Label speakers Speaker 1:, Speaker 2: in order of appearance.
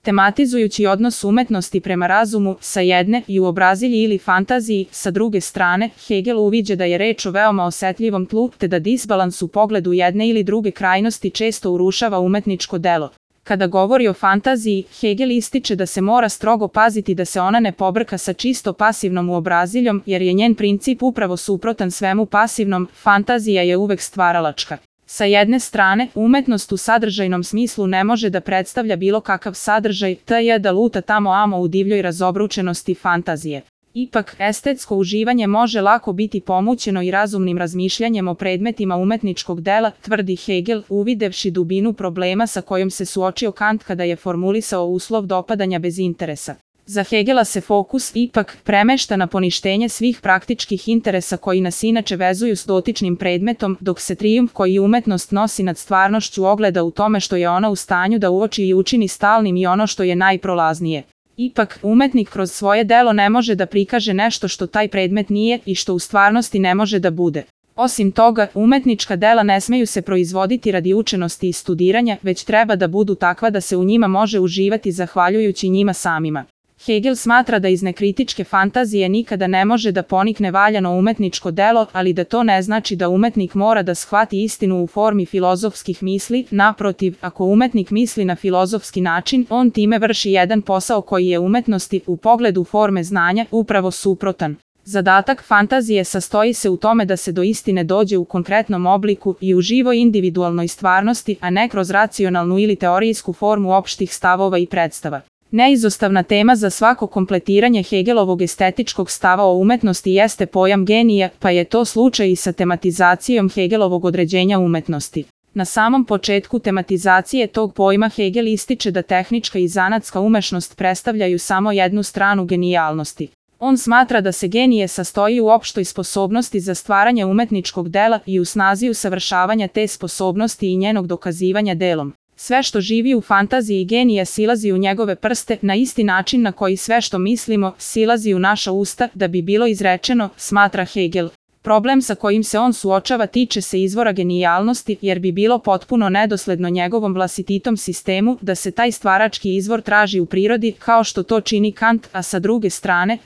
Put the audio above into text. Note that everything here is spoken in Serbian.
Speaker 1: Tematizujući odnos umetnosti prema razumu, sa jedne, i uobrazilji ili fantaziji, sa druge strane, Hegel uviđa da je reč o veoma osetljivom tlu, te da disbalans u pogledu jedne ili druge krajnosti često urušava umetničko delo. Kada govori o fantaziji, Hegel ističe da se mora strogo paziti da se ona ne pobrka sa čisto pasivnom uobraziljom, jer je njen princip upravo suprotan svemu pasivnom, fantazija je uvek stvaralačka. Sa jedne strane, umetnost u sadržajnom smislu ne može da predstavlja bilo kakav sadržaj, te je da luta tamo amo u divljoj razobručenosti fantazije. Ipak, estetsko uživanje može lako biti pomućeno i razumnim razmišljanjem o predmetima umetničkog dela, tvrdi Hegel, uvidevši dubinu problema sa kojom se suočio Kant kada je formulisao uslov dopadanja bez interesa. Za Hegela se fokus ipak premešta na poništenje svih praktičkih interesa koji nas inače vezuju s dotičnim predmetom, dok se trijumf koji umetnost nosi nad stvarnošću ogleda u tome što je ona u stanju da uoči i učini stalnim i ono što je najprolaznije. Ipak, umetnik kroz svoje delo ne može da prikaže nešto što taj predmet nije i što u stvarnosti ne može da bude. Osim toga, umetnička dela ne smeju se proizvoditi radi učenosti i studiranja, već treba da budu takva da se u njima može uživati zahvaljujući njima samima. Hegel smatra da iz nekritičke fantazije nikada ne može da ponikne valjano umetničko delo, ali da to ne znači da umetnik mora da shvati istinu u formi filozofskih misli, naprotiv, ako umetnik misli na filozofski način, on time vrši jedan posao koji je umetnosti, u pogledu forme znanja, upravo suprotan. Zadatak fantazije sastoji se u tome da se do istine dođe u konkretnom obliku i u živoj individualnoj stvarnosti, a ne kroz racionalnu ili teorijsku formu opštih stavova i predstava. Neizostavna tema za svako kompletiranje Hegelovog estetičkog stava o umetnosti jeste pojam genija, pa je to slučaj i sa tematizacijom Hegelovog određenja umetnosti. Na samom početku tematizacije tog pojma Hegel ističe da tehnička i zanatska umešnost predstavljaju samo jednu stranu genijalnosti. On smatra da se genije sastoji u opštoj sposobnosti za stvaranje umetničkog dela i u snazi usavršavanja te sposobnosti i njenog dokazivanja delom. Sve što živi u fantaziji genija silazi u njegove prste na isti način na koji sve što mislimo silazi u naša usta da bi bilo izrečeno, smatra Hegel. Problem sa kojim se on suočava tiče se izvora genijalnosti, jer bi bilo potpuno nedosledno njegovom vlastititom sistemu da se taj stvarački izvor traži u prirodi kao što to čini Kant, a sa druge strane,